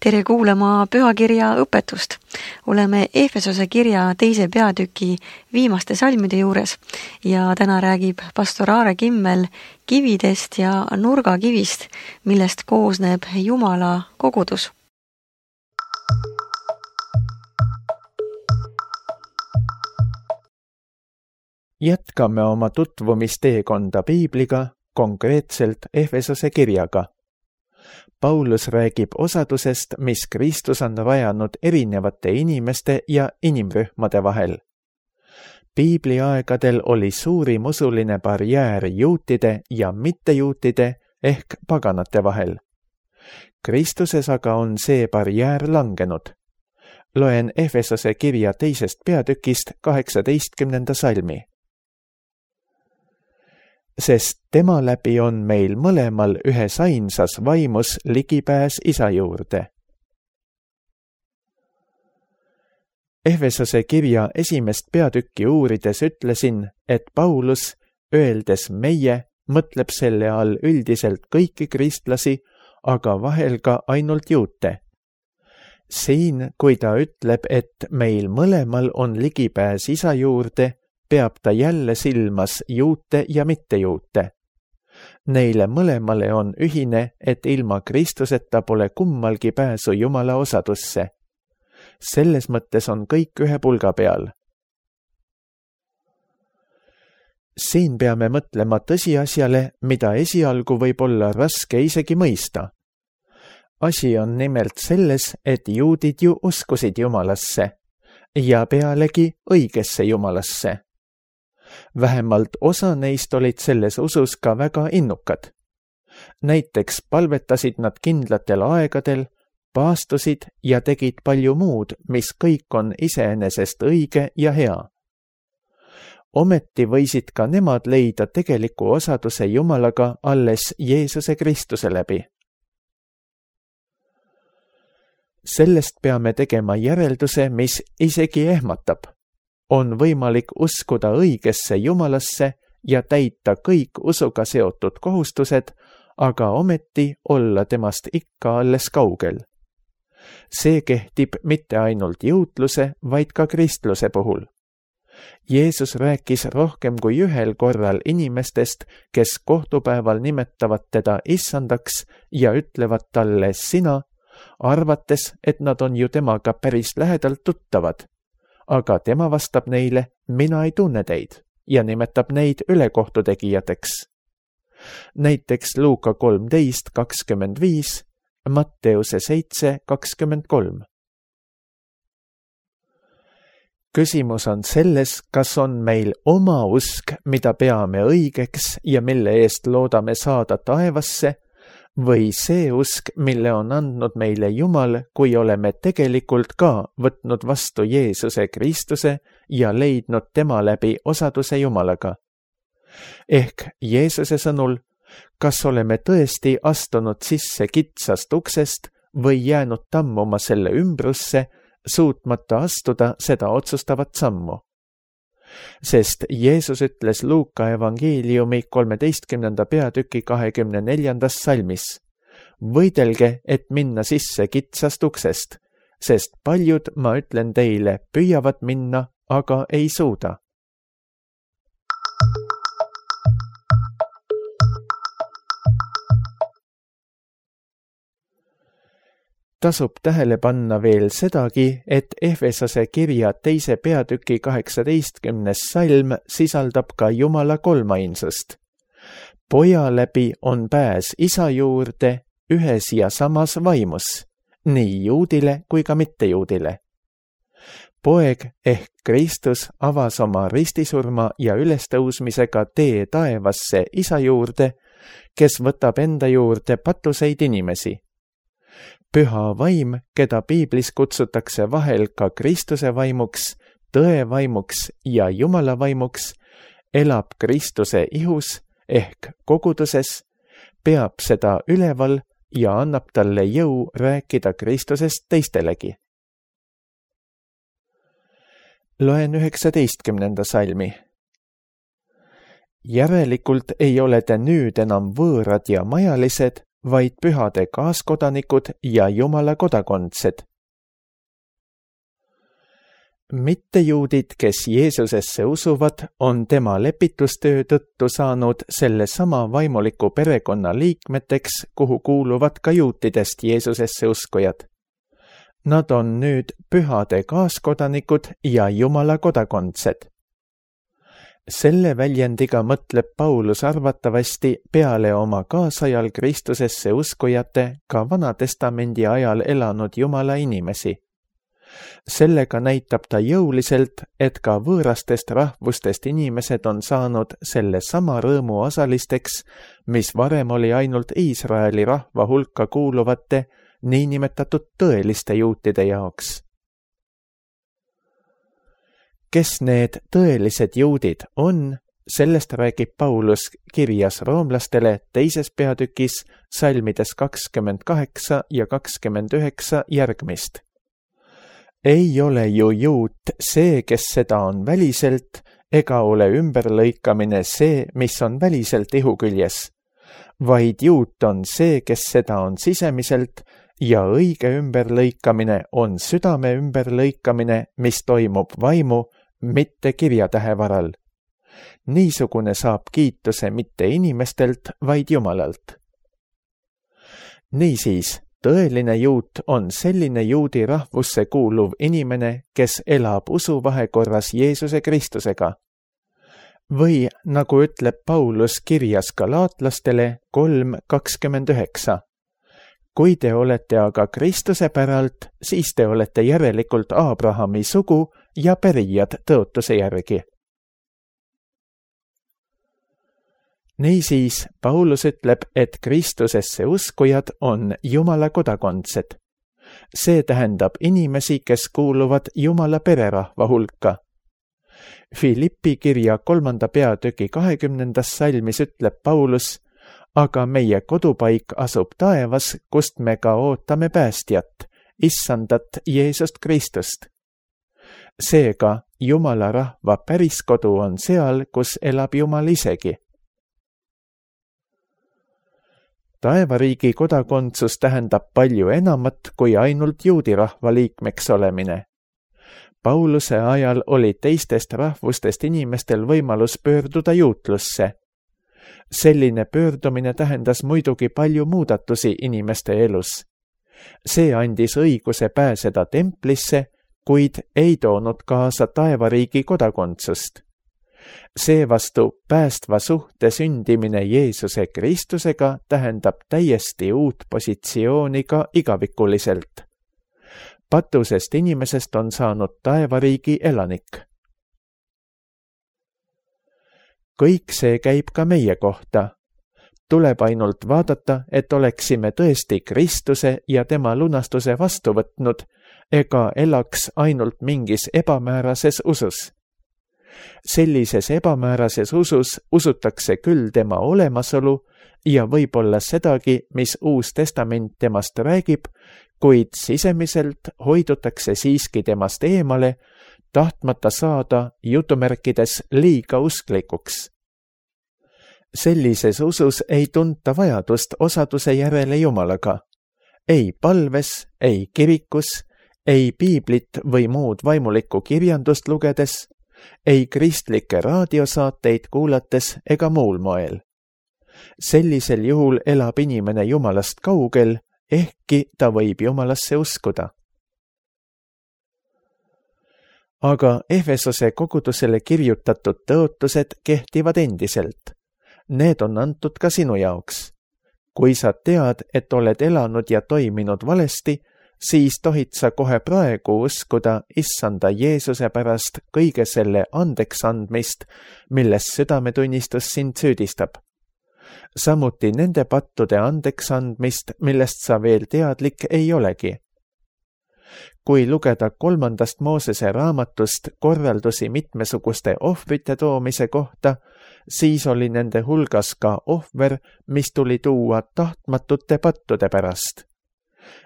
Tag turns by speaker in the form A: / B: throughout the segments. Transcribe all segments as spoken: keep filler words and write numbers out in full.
A: Tere kuulama pühakirja õpetust. Oleme Efesose kirja teise peatüki viimaste salmide juures ja täna räägib pastor Aare Kimmel kividest ja nurgakivist, millest koosneb Jumala kogudus.
B: Jätkame oma tutvumisteekonda Piibliga, konkreetselt Efesose kirjaga. Paulus räägib osadusest, mis Kristus on rajanud erinevate inimeste ja inimrühmade vahel. Piibli aegadel oli suurim usuline barjäär juutide ja mittejuutide ehk paganate vahel. Kristuses aga on see barjäär langenud. Loen Efesose kirja teisest peatükist kaheksateistkümnenda salmi. Sest tema läbi on meil mõlemal ühes ainsas vaimus ligipääs Isa juurde. Efesose kirja esimest peatükki uurides ütlesin, et Paulus, öeldes meie, mõtleb selle all üldiselt kõiki kristlasi, aga vahel ka ainult juute. Siin, kui ta ütleb, et meil mõlemal on ligipääs Isa juurde, peab ta jälle silmas juute ja mittejuute. Neile mõlemale on ühine, et ilma Kristuseta pole kummalgi pääsu Jumala osadusse. Selles mõttes on kõik ühe pulga peal. Siin peame mõtlema tõsiasjale, mida esialgu võib olla raske isegi mõista. Asi on nimelt selles, et juudid ju uskusid Jumalasse ja pealegi õigesse Jumalasse. Vähemalt osa neist olid selles usus ka väga innukad. Näiteks palvetasid nad kindlatel aegadel, paastusid ja tegid palju muud, mis kõik on iseenesest õige ja hea. Ometi võisid ka nemad leida tegeliku osaduse Jumalaga alles Jeesuse Kristuse läbi. Sellest peame tegema järelduse, mis isegi ehmatab. On võimalik uskuda õigesse Jumalasse ja täita kõik usuga seotud kohustused, aga ometi olla temast ikka alles kaugel. See kehtib mitte ainult juutluse, vaid ka kristluse puhul. Jeesus rääkis rohkem kui ühel korral inimestest, kes kohtupäeval nimetavad teda issandaks ja ütlevad talle sina, arvates, et nad on ju temaga päris lähedalt tuttavad. Aga tema vastab neile, mina ei tunne teid, ja nimetab neid ülekohtutegijateks. Näiteks Luuka kolmteist kakskümmend viis, Matteuse seitse kakskümmend kolm. Küsimus on selles, kas on meil oma usk, mida peame õigeks ja mille eest loodame saada taevasse, või see usk, mille on andnud meile Jumal, kui oleme tegelikult ka võtnud vastu Jeesuse Kristuse ja leidnud tema läbi osaduse Jumalaga. Ehk Jeesuse sõnul, kas oleme tõesti astunud sisse kitsast uksest või jäänud tammuma selle ümbrusse, suutmata astuda seda otsustavat sammu. Sest Jeesus ütles Luuka evangeeliumi kolmeteistkümnenda peatüki kahekümne neljandas salmis. Võidelge, et minna sisse kitsast uksest, sest paljud, ma ütlen teile, püüavad minna, aga ei suuda. Tasub tähele panna veel sedagi, et Efesose kirja teise peatüki kaheksateistkümnes salm sisaldab ka Jumala kolmainsust. Poja läbi on pääs Isa juurde ühes ja samas vaimus, nii juudile kui ka mittejuudile. Poeg ehk Kristus avas oma ristisurma ja ülestõusmisega tee taevasse Isa juurde, kes võtab enda juurde patuseid inimesi. Püha vaim, keda Piiblis kutsutakse vahel ka Kristuse vaimuks, tõe vaimuks ja Jumala vaimuks, elab Kristuse ihus ehk koguduses, peab seda üleval ja annab talle jõu rääkida Kristusest teistelegi. Loen üheksateistkümnenda salmi. Järelikult ei ole te nüüd enam võõrad ja majalised, vaid pühade kaaskodanikud ja Jumala kodakondsed. Mittejuudid, kes Jeesusesse usuvad, on tema lepitustöö tõttu saanud selle sama vaimuliku perekonna liikmeteks, kuhu kuuluvad ka juutidest Jeesusesse uskujad. Nad on nüüd pühade kaaskodanikud ja Jumala kodakondsed. Selle väljendiga mõtleb Paulus arvatavasti peale oma kaasajal Kristusesse uskujate ka Vanatestamendi ajal elanud Jumala inimesi. Sellega näitab ta jõuliselt, et ka võõrastest rahvustest inimesed on saanud selle sama rõõmu osalisteks, mis varem oli ainult Iisraeli rahva hulka kuuluvate niinimetatud tõeliste juutide jaoks. Kes need tõelised juudid on, sellest räägib Paulus kirjas roomlastele teises peatükis salmides kakskümmend kaheksa ja kakskümmend üheksa järgmist. Ei ole ju juut see, kes seda on väliselt, ega ole ümberlõikamine see, mis on väliselt ihu küljes, vaid juut on see, kes seda on sisemiselt, ja õige ümberlõikamine on südame ümberlõikamine, mis toimub vaimu, mitte kirjatähe varal. Niisugune saab kiituse mitte inimestelt, vaid Jumalalt. Niisiis, tõeline juut on selline juudi rahvusse kuuluv inimene, kes elab usuvahekorras Jeesuse Kristusega. Või nagu ütleb Paulus kirjas galaatlastele kolm kakskümmend üheksa. Kui te olete aga Kristuse päralt, siis te olete järelikult Abrahami sugu ja pärijad tõotuse järgi. Niisiis, Paulus ütleb, et Kristusesse uskujad on Jumala kodakondsed. See tähendab inimesi, kes kuuluvad Jumala pererahva hulka. Filippi kirja kolmanda peatüki kahekümnendas salmis ütleb Paulus, aga meie kodupaik asub taevas, kust me ka ootame päästjat, issandat Jeesust Kristust. Seega, Jumala rahva päriskodu on seal, kus elab Jumal isegi. Taevariigi kodakondsus tähendab palju enamat kui ainult juudi rahva liikmeks olemine. Pauluse ajal oli teistest rahvustest inimestel võimalus pöörduda juutlusse. Selline pöördumine tähendas muidugi palju muudatusi inimeste elus. See andis õiguse pääseda templisse, kuid ei toonud kaasa taevariigi kodakondsust. Seevastu päästva suhte sündimine Jeesuse Kristusega tähendab täiesti uut positsiooni ka igavikuliselt. Patusest inimesest on saanud taevariigi elanik. Kõik see käib ka meie kohta. Tuleb ainult vaadata, et oleksime tõesti Kristuse ja tema lunastuse vastu võtnud, ega elaks ainult mingis ebamäärases usus. Sellises ebamäärases usus usutakse küll tema olemasolu ja võib-olla sedagi, mis Uus Testament temast räägib, kuid sisemiselt hoidutakse siiski temast eemale, tahtmata saada jutumärkides liiga usklikuks. Sellises usus ei tunta vajadust osaduse järele Jumalaga. Ei palves, ei kirikus, ei piiblit või muud vaimulikku kirjandust lugedes, ei kristlikke raadiosaateid kuulates ega muul moel. Sellisel juhul elab inimene Jumalast kaugel, ehkki ta võib Jumalasse uskuda. Aga Efesose kogudusele kirjutatud tõotused kehtivad endiselt. Need on antud ka sinu jaoks. Kui sa tead, et oled elanud ja toiminud valesti, siis tohid sa kohe praegu uskuda issanda Jeesuse pärast kõige selle andeks andmist, milles südametunnistus sind süüdistab. Samuti nende pattude andeks andmist, millest sa veel teadlik ei olegi. Kui lugeda kolmandast Moosese raamatust korraldusi mitmesuguste ohvrite toomise kohta, siis oli nende hulgas ka ohver, mis tuli tuua tahtmatute pattude pärast.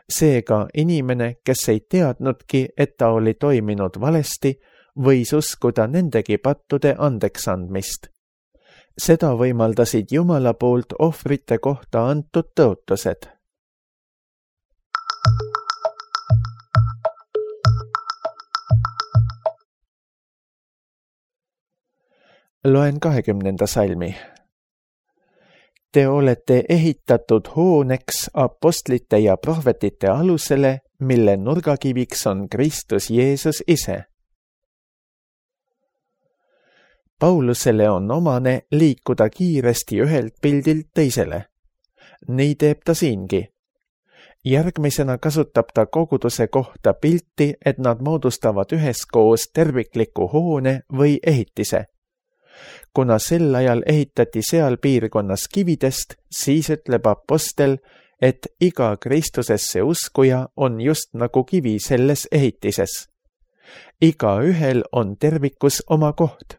B: Seega inimene, kes ei teadnudki, et ta oli toiminud valesti, võis uskuda nendegi pattude andeks andmist. seda võimaldasid Jumala poolt ohvrite kohta antud tõotused. Loen kahekümnenda salmi. Te olete ehitatud hooneks apostlite ja prohvetite alusele, mille nurgakiviks on Kristus Jeesus ise. Paulusele on omane liikuda kiiresti ühelt pildilt teisele. Nii teeb ta siingi. Järgmisena kasutab ta koguduse kohta pilti, et nad moodustavad üheskoos tervikliku hoone või ehitise. Kuna sel ajal ehitati seal piirkonnas kividest, siis ütleb apostel, et iga Kristusesse uskuja on just nagu kivi selles ehitises. Igaühel on tervikus oma koht.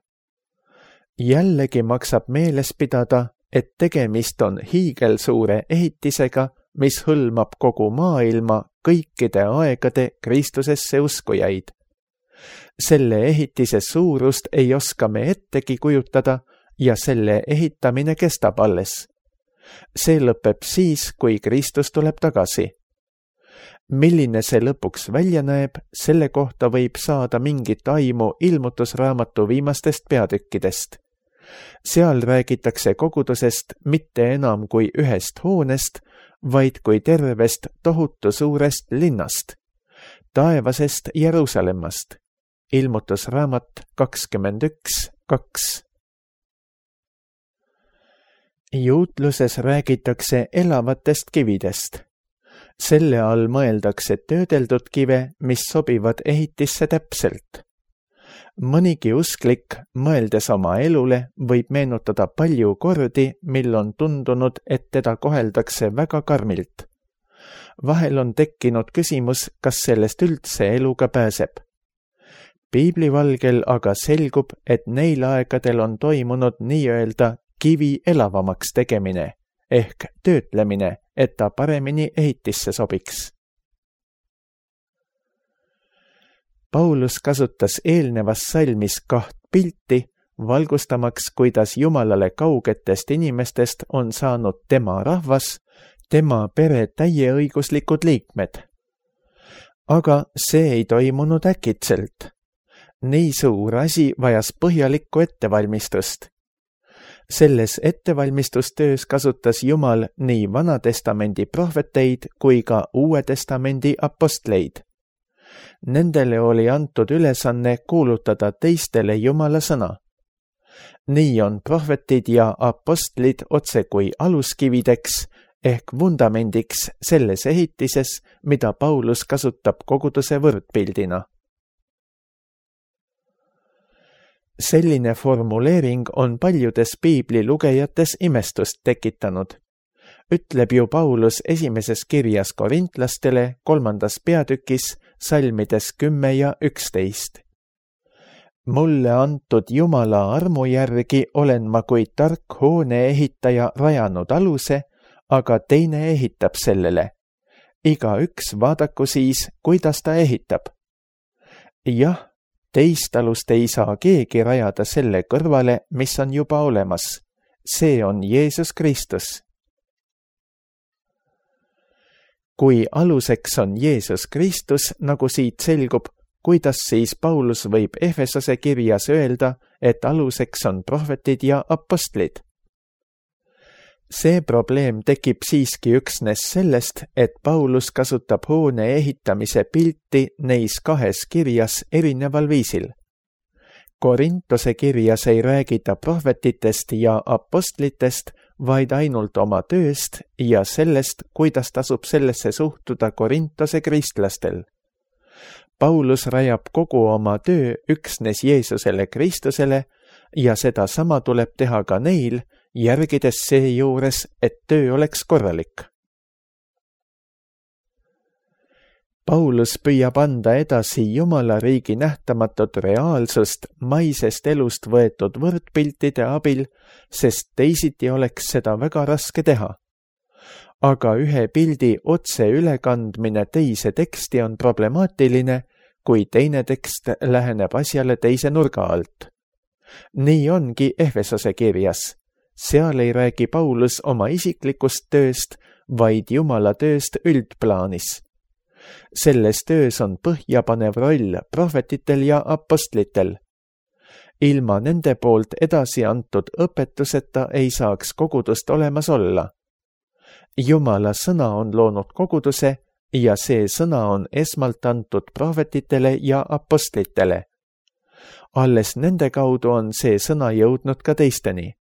B: Jällegi maksab meeles pidada, et tegemist on hiigelsuure ehitisega, mis hõlmab kogu maailma kõikide aegade Kristusesse uskujaid. Selle ehitise suurust ei oska me ettegi kujutada ja selle ehitamine kestab alles. See lõpeb siis, kui Kristus tuleb tagasi. Milline see lõpuks välja näeb, selle kohta võib saada mingit aimu ilmutusraamatu viimastest peatükkidest. Seal räägitakse kogudusest mitte enam kui ühest hoonest, vaid kui tervest tohutu suurest linnast, taevasest Jeruusalemmast. Ilmutusraamat kakskümmend üks kaks. Juutluses räägitakse elavatest kividest. Selle all mõeldakse töödeldud kive, mis sobivad ehitisse täpselt. Mõnigi usklik, mõeldes oma elule, võib meenutada palju kordi, mil on tundunud, et teda koheldakse väga karmilt. Vahel on tekkinud küsimus, kas sellest üldse eluga pääseb. Piiblivalgel aga selgub, et neil aegadel on toimunud nii-öelda kivi elavamaks tegemine ehk töötlemine, et ta paremini ehitisse sobiks. Paulus kasutas eelnevas salmis kaht pilti, valgustamaks, kuidas Jumalale kaugetest inimestest on saanud tema rahvas, tema pere täieõiguslikud liikmed. Aga see ei toimunud äkitselt. Nii suur asi vajas põhjalikku ettevalmistust. Selles ettevalmistustöös kasutas Jumal nii Vanatestamendi prohveteid kui ka Uue Testamendi apostleid. Nendele oli antud ülesanne kuulutada teistele Jumala sõna. Nii on prohvetid ja apostlid otse kui aluskivideks ehk vundamendiks selles ehitises, mida Paulus kasutab koguduse võrdpildina. Selline formuleering on paljudes piibli lugejates imestust tekitanud. Ütleb ju Paulus esimeses kirjas korintlastele kolmandas peatükis salmides kümme ja üksteist. Mulle antud Jumala armu järgi olen ma kui tark hoone ehitaja rajanud aluse, aga teine ehitab sellele. Igaüks vaadaku siis, kuidas ta ehitab. Jah, teist alust ei saa keegi rajada selle kõrvale, mis on juba olemas. See on Jeesus Kristus. Kui aluseks on Jeesus Kristus, nagu siit selgub, kuidas siis Paulus võib Efesose kirjas öelda, et aluseks on prohvetid ja apostlid? See probleem tekib siiski üksnes sellest, et Paulus kasutab hoone ehitamise pilti neis kahes kirjas erineval viisil. Korintose kirjas ei räägita prohvetitest ja apostlitest, vaid ainult oma tööst ja sellest, kuidas tasub sellesse suhtuda Korintose kristlastel. Paulus rajab kogu oma töö üksnes Jeesusele Kristusele ja seda sama tuleb teha ka neil, järgides seejuures, et töö oleks korralik. Paulus püüab anda edasi Jumala riigi nähtamatut reaalsust maisest elust võetud võrdpiltide abil, sest teisiti oleks seda väga raske teha. Aga ühe pildi otse ülekandmine teise teksti on problemaatiline, kui teine tekst läheneb asjale teise nurga alt. Nii ongi Efesose kirjas. seal ei räägi Paulus oma isiklikust tööst, vaid Jumala tööst üldplaanis. Selles töös on põhjapanev roll prohvetitel ja apostlitel. Ilma nende poolt edasi antud õpetuseta ei saaks kogudust olemas olla. Jumala sõna on loonud koguduse ja see sõna on esmalt antud prohvetitele ja apostlitele. Alles nende kaudu on see sõna jõudnud ka teisteni.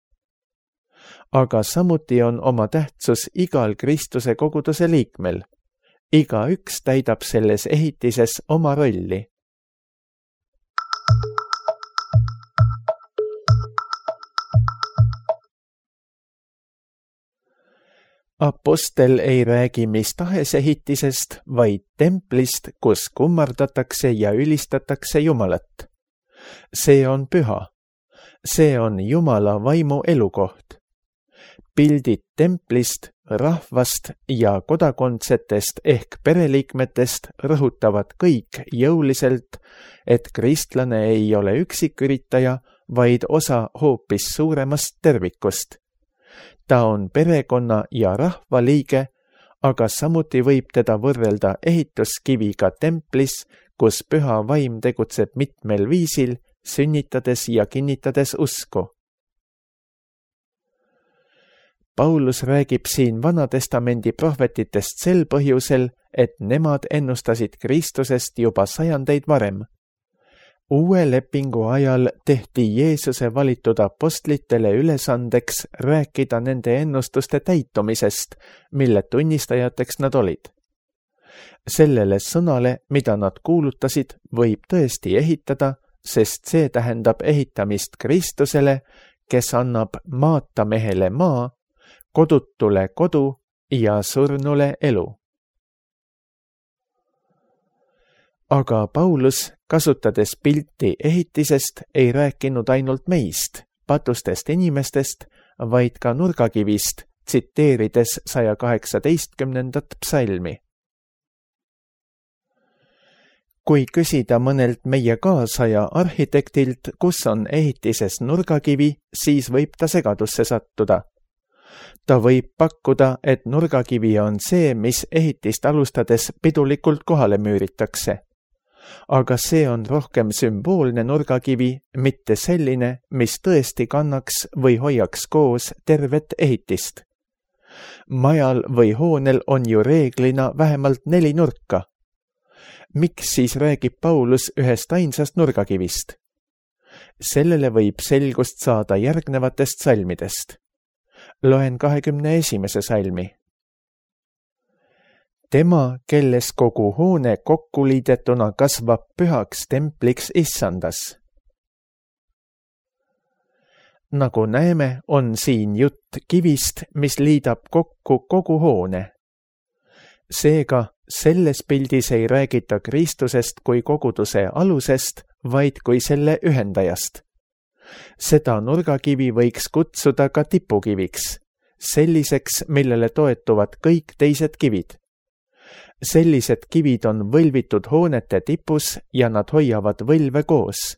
B: Aga samuti on oma tähtsus igal Kristuse koguduse liikmel. Igaüks täidab selles ehitises oma rolli. Apostel ei räägi mis tahes ehitisest, vaid templist, kus kummardatakse ja ülistatakse Jumalat. See on püha. See on Jumala vaimu elukoht. Pildid templist, rahvast ja kodakondsetest ehk pereliikmetest rõhutavad kõik jõuliselt, et kristlane ei ole üksiküritaja, vaid osa hoopis suuremast tervikust. Ta on perekonna ja rahva liige, aga samuti võib teda võrrelda ehituskiviga templis, kus püha vaim tegutseb mitmel viisil, sünnitades ja kinnitades usku. Paulus räägib siin Vanatestamendi prohvetitest sel põhjusel, et nemad ennustasid Kristusest juba sajandeid varem. Uue lepingu ajal tehti Jeesuse valitud apostlitele ülesandeks rääkida nende ennustuste täitumisest, mille tunnistajateks nad olid. Sellele sõnale, mida nad kuulutasid, võib tõesti ehitada, sest see tähendab ehitamist Kristusele, kes annab maatamehele maa, kodutule kodu ja surnule elu. Aga Paulus, kasutades pilti ehitisest, ei rääkinud ainult meist, patustest inimestest, vaid ka nurgakivist, tsiteerides saja kaheksateistkümnendat psalmi. Kui küsida mõnelt meie kaasaja arhitektilt, kus on ehitises nurgakivi, siis võib ta segadusse sattuda. Ta võib pakkuda, et nurgakivi on see, mis ehitist alustades pidulikult kohale müüritakse. Aga see on rohkem sümboolne nurgakivi, mitte selline, mis tõesti kannaks või hoiaks koos tervet ehitist. Majal või hoonel on ju reeglina vähemalt neli nurka. Miks siis räägib Paulus ühest ainsast nurgakivist? Sellele võib selgust saada järgnevatest salmidest. Loen kahekümne esimese salmi. Tema, kelles kogu hoone kokku liidetuna kasvab pühaks templiks issandas. Nagu näeme, on siin jutt kivist, mis liidab kokku kogu hoone. Seega, selles pildis ei räägita Kristusest kui koguduse alusest, vaid kui selle ühendajast. Seda nurgakivi võiks kutsuda ka tipukiviks, selliseks, millele toetuvad kõik teised kivid. Sellised kivid on võlvitud hoonete tipus ja nad hoiavad võlve koos.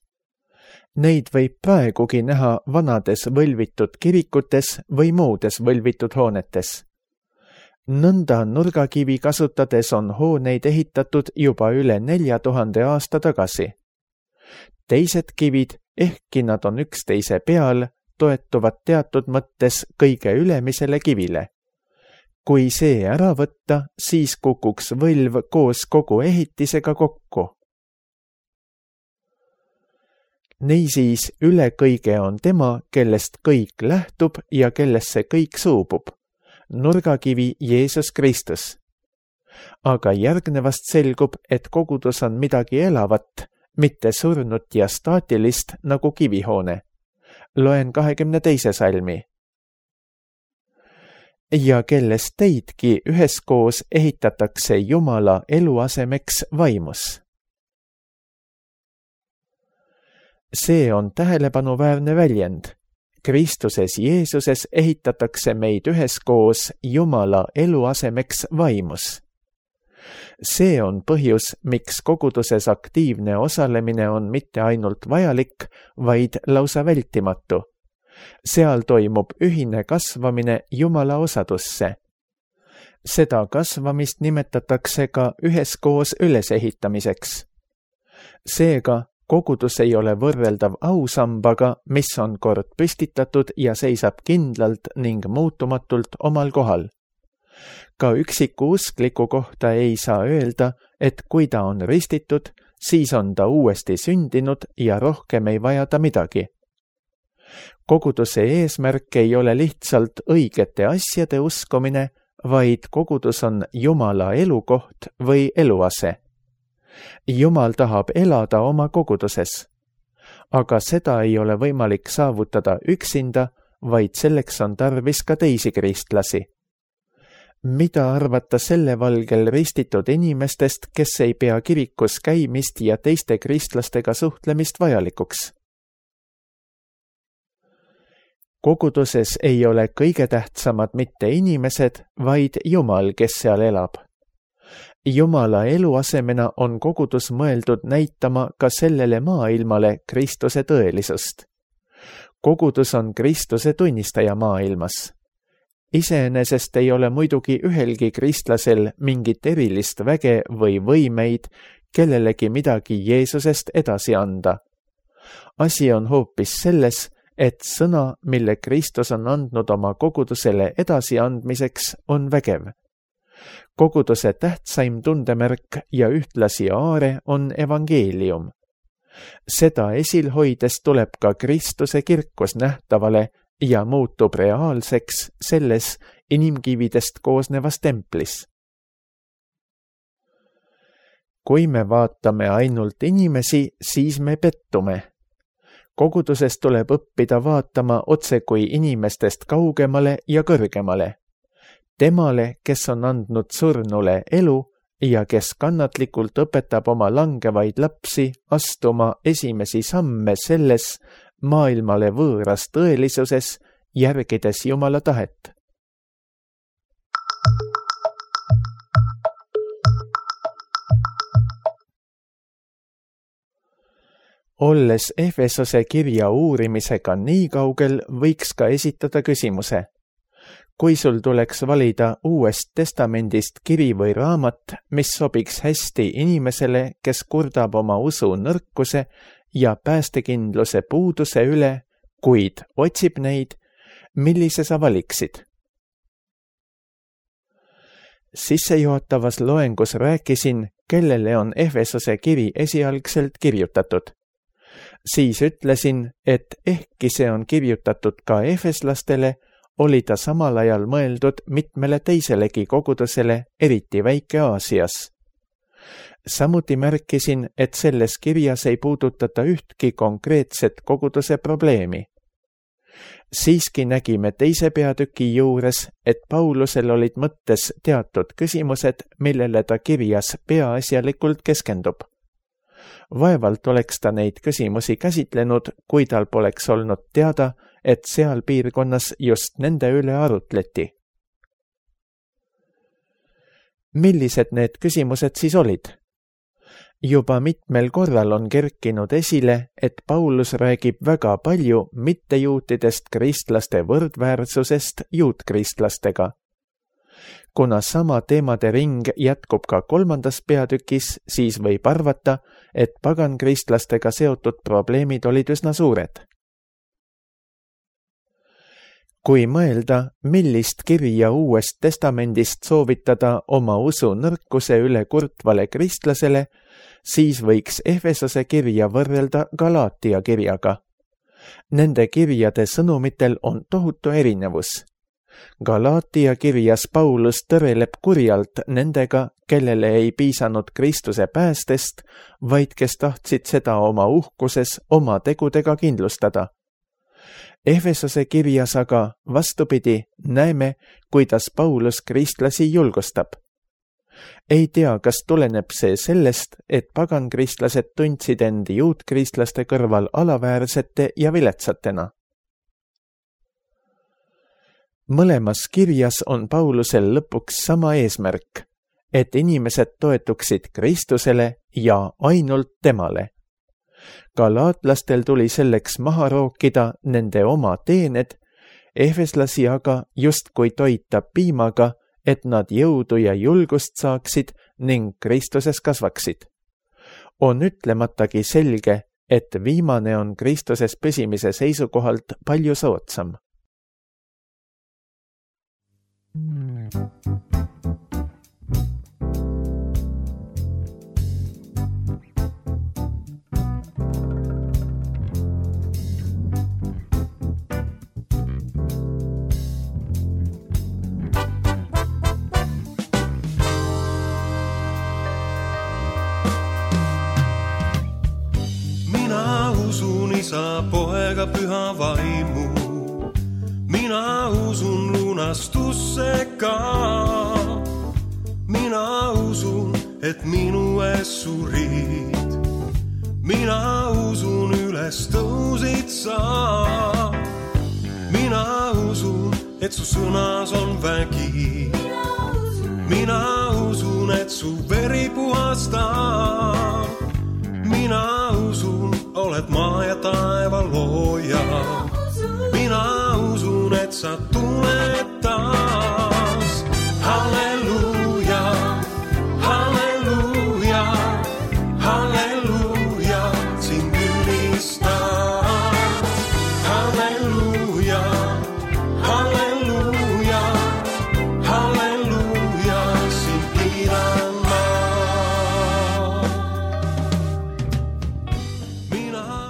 B: Neid võib praegugi näha vanades võlvitud kirikutes või muudes võlvitud hoonetes. Nõnda nurgakivi kasutades on hooneid ehitatud juba üle nelja tuhande aasta tagasi. Teised kivid, ehkki nad on üksteise peal, toetuvad teatud mõttes kõige ülemisele kivile. Kui see ära võtta, siis kukuks võlv koos kogu ehitisega kokku. Niisiis üle kõige on tema, kellest kõik lähtub ja kellesse kõik suubub. Nurgakivi Jeesus Kristus. Aga järgnevast selgub, et kogudus on midagi elavat, mitte surnut ja staatilist nagu kivihoone. Loen kahekümne teise salmi. Ja kellest teidki üheskoos ehitatakse Jumala eluasemeks vaimus. See on tähelepanuväärne väljend. Kristuses Jeesuses ehitatakse meid üheskoos Jumala eluasemeks vaimus. See on põhjus, miks koguduses aktiivne osalemine on mitte ainult vajalik, vaid lausa vältimatu. seal toimub ühine kasvamine Jumala osadusse. Seda kasvamist nimetatakse ka üheskoos ülesehitamiseks. Seega, kogudus ei ole võrreldav ausambaga, mis on kord püstitatud ja seisab kindlalt ning muutumatult omal kohal. Ka üksiku uskliku kohta ei saa öelda, et kui ta on ristitud, siis on ta uuesti sündinud ja rohkem ei vaja ta midagi. Koguduse eesmärk ei ole lihtsalt õigete asjade uskumine, vaid kogudus on Jumala elukoht või eluase. Jumal tahab elada oma koguduses, aga seda ei ole võimalik saavutada üksinda, vaid selleks on tarvis ka teisi kristlasi. Mida arvata selle valgel ristitud inimestest, kes ei pea kirikus käimist ja teiste kristlastega suhtlemist vajalikuks? Koguduses ei ole kõige tähtsamad mitte inimesed, vaid Jumal, kes seal elab. Jumala eluasemena on kogudus mõeldud näitama ka sellele maailmale Kristuse tõelisust. Kogudus on Kristuse tunnistaja maailmas. Iseenesest ei ole muidugi ühelgi kristlasel mingit erilist väge või võimeid kellelegi midagi Jeesusest edasi anda. Asi on hoopis selles, et sõna, mille Kristus on andnud oma kogudusele edasiandmiseks, on vägev. Koguduse tähtsaim tundemärk ja ühtlasi aare on evangeelium. Seda esil hoides tuleb ka Kristuse kirkus nähtavale ja muutub reaalseks selles inimkividest koosnevas templis. Kui me vaatame ainult inimesi, siis me pettume. Koguduses tuleb õppida vaatama otse kui inimestest kaugemale ja kõrgemale. Temale, kes on andnud surnule elu ja kes kannatlikult õpetab oma langevaid lapsi astuma esimesi samme selles maailmale võõras tõelisuses, järgides Jumala tahet. Olles Efesose kirja uurimisega nii kaugel, võiks ka esitada küsimuse. Kui sul tuleks valida Uuest Testamendist kiri või raamat, mis sobiks hästi inimesele, kes kurdab oma usu nõrkuse ja päästekindluse puuduse üle, kuid otsib neid, millise sa valiksid? Sissejuhatavas loengus rääkisin, kellele on Efesose kiri esialgselt kirjutatud. Siis ütlesin, et ehkki see on kirjutatud ka efeslastele, oli ta samal ajal mõeldud mitmele teiselegi kogudusele, eriti Väike-Aasias. Samuti märkisin, et selles kirjas ei puudutata ühtki konkreetset koguduse probleemi. Siiski nägime teise peatüki juures, et Paulusel olid mõttes teatud küsimused, millele ta kirjas peaasjalikult keskendub. Vaevalt oleks ta neid küsimusi käsitlenud, kui tal poleks olnud teada, et seal piirkonnas just nende üle arutleti. Millised need küsimused siis olid? Juba mitmel korral on kerkinud esile, et Paulus räägib väga palju mittejuutidest kristlaste võrdväärsusest juutkrисtlastega. Kuna sama teemade ring jätkub ka kolmandas peatükis, siis võib arvata, et pagankristlastega seotud probleemid olid üsna suured. Kui mõelda, millist kirja Uuest Testamendist soovitada oma usu nõrkuse üle kurtvale kristlasele, siis võiks Efesose kirja võrrelda Galaatia kirjaga. Nende kirjade sõnumitel on tohutu erinevus. Galaatia kirjas Paulus tõreleb kurjalt nendega, kellele ei piisanud Kristuse päästest, vaid kes tahtsid seda oma uhkuses oma tegudega kindlustada. Efesose kirjas aga vastupidi näeme, kuidas Paulus kristlasi julgustab. Ei tea, kas tuleneb see sellest, et pagankristlased tundsid end juutkristlaste kõrval alaväärsete ja viletsatena. Mõlemas kirjas on Paulusel lõpuks sama eesmärk, et inimesed toetuksid Kristusele ja ainult temale. Galaatlastel tuli selleks maha rookida nende oma teened, efeslasi aga justkui toita piimaga, et nad jõudu ja julgust saaksid ning Kristuses kasvaksid. On ütlematagi selge, et viimane on Kristuses püsimise seisukohalt palju soodsam.
C: Isa, poega, püha vaimu. Mina usun lunastusse ka. Mina usun, et minu ees surid. Mina usun, üles tõusid sa. Mina usun, et su sõnas on vägi. Mina usun, et su veri puhastab. Mina usun, oled maa ja taeva looja. Mina usun, et sa tuled taas. Halleluuja, halleluuja, halleluuja, sind ülistan. Halleluuja, halleluuja, halleluuja, sind kiidan ma.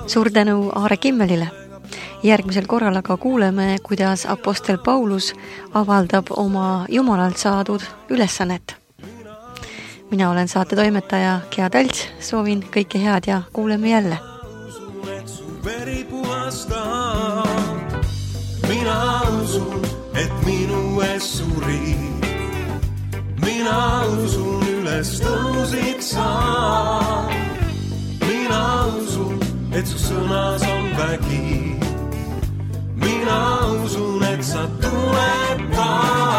A: Suur tänu Aare Kimmelile. Järgmisel korral aga kuuleme, kuidas apostel Paulus avaldab oma Jumalalt saadud ülesannet. Mina olen saate toimetaja Gea Talts, soovin kõike head ja kuuleme jälle.
C: Mina usun, et minu ees surid. Mina usun, üles tõusid sa. Mina usun, et su sõnas on vägi. Mina usun, et sa tuled taas.